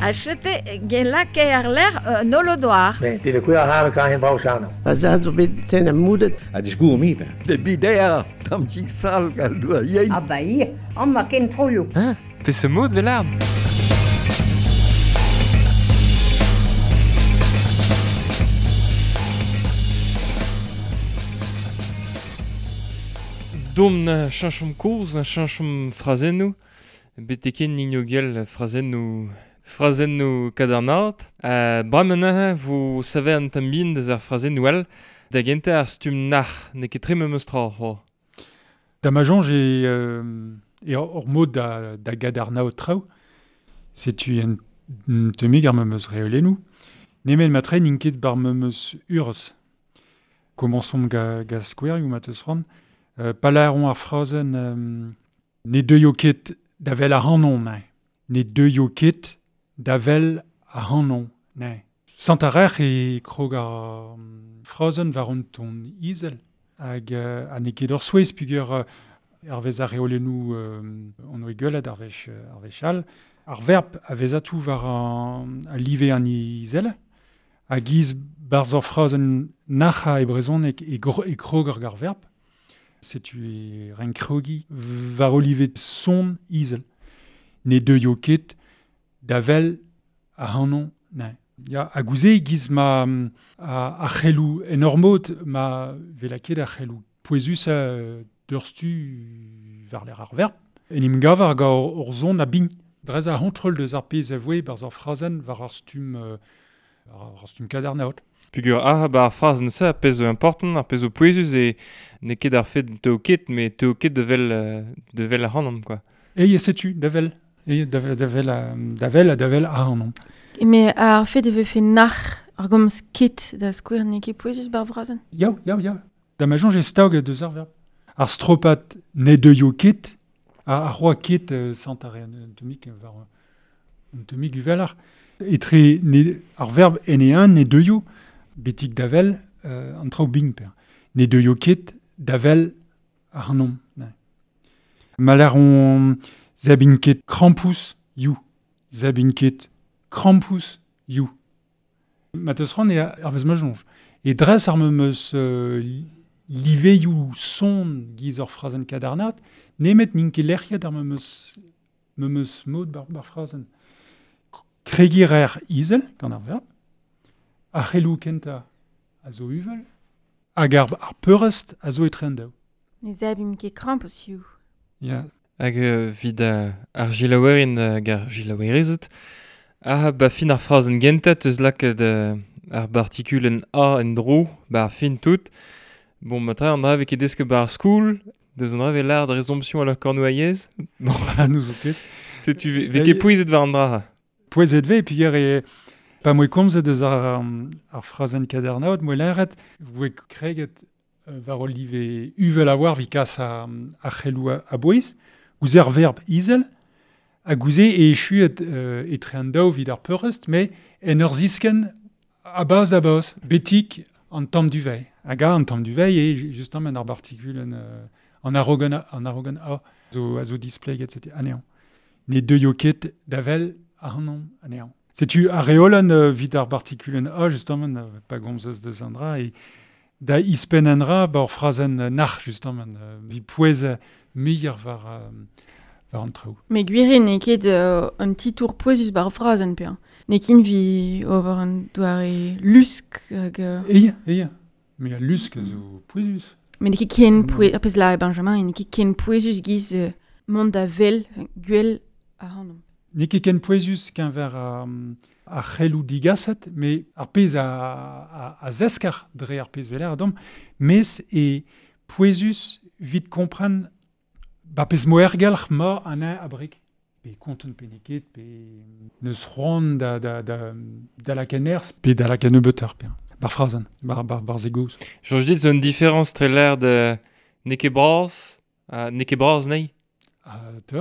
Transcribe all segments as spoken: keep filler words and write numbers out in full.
Achete gelake ar ler nolodoar. Ne, de kuer har kan hen brauchano. A zo bet sen am moudet. A discours mi. De bider, tam ti sal gal doa yei. Ah ba ia, an ma ken troio. Hein? Pe se mod velard. Dom na chanchom koz, na chanchom frazennou, beteken nino gel frazennou frazennou kadarnat. Uh, Bramenañ vo save an tambin deus ar frazennou all, da gentañ ar stumm nac'h, n'eo ket tre memes tra c'ho. Da ma soñj e, euh, e ur mod da, da gadarnaot traoù, setu un, un temig ar memes reolennoù, nemet ma tre n'int ket bar memes urzh. Komañsomp ga, ga skouerioù ma teus c'hoant. Euh, Palaeron ar frazenn euh, ne deuio ket da vel ac'hanon, nae. Ne deuio ket da vel ac'hanon, nae. Sant a rec'h e krog ar frazenn war an ton izel. Hag euh, ha n'eo ket ur souezh peogwir euh, ar vez ar reolennoù euh, on oe gwelet ar wech, ar wech all. Ar verb a vez atou war an, a live an izel. Hag iz barzh ur frazenn nac'ha e brezhoneg e, e krog ar gar verb. Setu e renk krogi war olivet son izel. Ne deuio ket da vel ac'hanon nae. Ya, a gouze giz ma a, a c'helloù en ur mod ma vela ket a c'helloù pouezus a deurstu war l'er ar verb. En im gav ar ga ur zon a bign. Drez a c'hontrol deus ar pezh a voe barzh ar frazenn war ar stumm, ar stumm kadarnaot. Peogwir ah ba ar frazenn se ar pezh zo important, ar pezh zo pouezus e n'eo ket ar fet teo ket, met teo ket da vel, da vel ac'hanomp, quoi. E setu, da vel. E da vel, da vel, da vel, da vel ac'hanomp. Me ar fet e vefe nac'h ar gomz ket da skouer n'eo ket pouezus bar frazenn? Ya, ya, ya. Da ma soñj e stag deus ar verb. Ar stropat ne deuio ket, ar, ar roa ket euh, sant ar un temik war un temik uvelar. Etre ne, ar verb en e un ne deuio betik davel euh, an traoù bign per. Ne deuio ket davel ac'hanomp. Maler on zebin ket krampouezh you. Zebin ket krampouezh you. Ma teus c'hoant e ar vez ma soñj. E dres ar memes euh, liveioù son giz ur frazenn kadarnat, nemet n'int ket lec'hiet ar memes, memes mod bar, bar frazenn. Kregiñ er izel gant ar verb, ar c'helloù kentañ a zo uvel, hag ar, ar peurrest a zo etre an daou. Ne zebimp ket krampouezh you. Ya. Hag euh, vid ar gilaouerin hag ar gilaouerezed, ah ba fin ar frazenn gentañ teus lakaet euh, ar bartikulenn a en dro, ba ar fin tout. Bon, ma tra an dra vez ket desket ba ar skoul, deus an dra vez l'art de résomption à la cornouaillez. Non, nous zo ket. Setu vez ket pouezet war an dra. Pouezet vez, peogwir e pa moe komzet deus ar, ar frazenn kadarnaot, moe lâret, voe kreget war ol live uvel a war vi kas a, a c'helloù a bouez, gouze ar verb izel, ha gouze e echuet euh, etre an daou vid ar peurrest, me en ur zisken a baz da baz, betik an tamm du veil. Hag a an tamm du veil e justement en ar bartikulenn euh, an arogan an arogan a zo a zo displeget setu anezhañ. Ne deuio ket da vel ac'hanomp anezhañ. Setu ar reolenn euh, vid ar bartikulenn a justement euh, pa gomzeus deus an dra e da ispenn an dra ba ur frazenn nac'h justement euh, vi pouez muioc'h war euh, war an traoù. Me gwir eo n'eo ket euh, un titour pouezus bar frazenn pe. N'eo ket vi ober an doare lusk hag... Euh... Eia, eia. Me al lusk zo pouezus. Me n'eo ket ken pouez... Ar pezh la Benjamin, n'eo ket ken pouezus giz euh, mont da vel, gwell ac'hanomp. N'eo ket ken pouezus keñver ar, ar c'helloù digaset, me ar pezh a, a, a zeskar dre ar pezh veler a dom, mes e pouezus vit kompren ba pezh moergelc'h ma an a abrik. Pe konten pe n'eo ket, pe neus c'hoant da, da, da, da la kenerz, pe da la kennebeutoc'h, pe. Bar frazenn, bar, bar, bar zegoz. Soñj dit zo un différence tre l'air de n'eo ket bras, uh, n'eo ket bras nei? Ah, te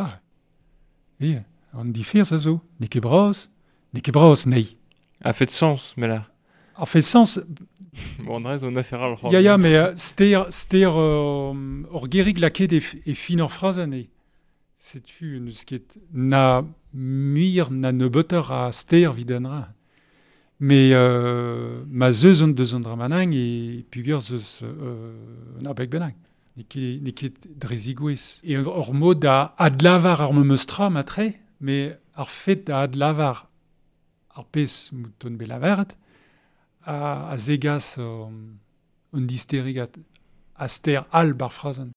E, an diferz a zo. N'eo ket bras, n'eo ket bras nei. A fait sens, mais là. A fait sens... Bon, an dra zo un affaire al Ya, ya, mais euh, ster, ster euh, ur gerig laket e, e fin ur frazenn eo. Setu neus ket na muir na neubeuter a ster vid an ra. Me euh, ma zeus an deus an dramanang e pugur zeus euh, an abeg bennak. N'eo ket, n'eo ket dre zigouez. E ur mod da adlavar ar memeus tra matre, me ar fet da adlavar ar pezh mouton bet lavaret, a, a zegas um, un disterigat a ster al bar frazenn.